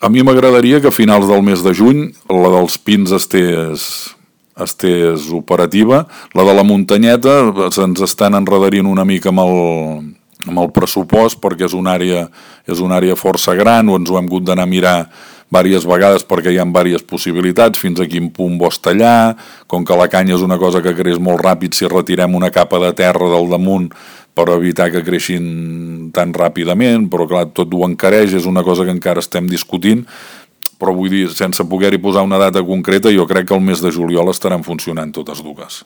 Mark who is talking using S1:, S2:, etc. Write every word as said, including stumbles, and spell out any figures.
S1: A mi m'agradaria que a finals del mes de juny la dels Pins estés, estés operativa. La de la Muntanyeta se'ns estan enredarint una mica amb el, amb el pressupost perquè és una àrea, és una àrea força gran, o ens ho hem hagut d'anar a mirar diverses vegades perquè hi ha diverses possibilitats, fins a quin punt vols tallar, com que la canya és una cosa que creix molt ràpid, si retirem una capa de terra del damunt per evitar que creixin tan ràpidament, però clar, tot ho encareix, és una cosa que encara estem discutint, però vull dir, sense poder-hi posar una data concreta, jo crec que el mes de juliol estaran funcionant totes dues.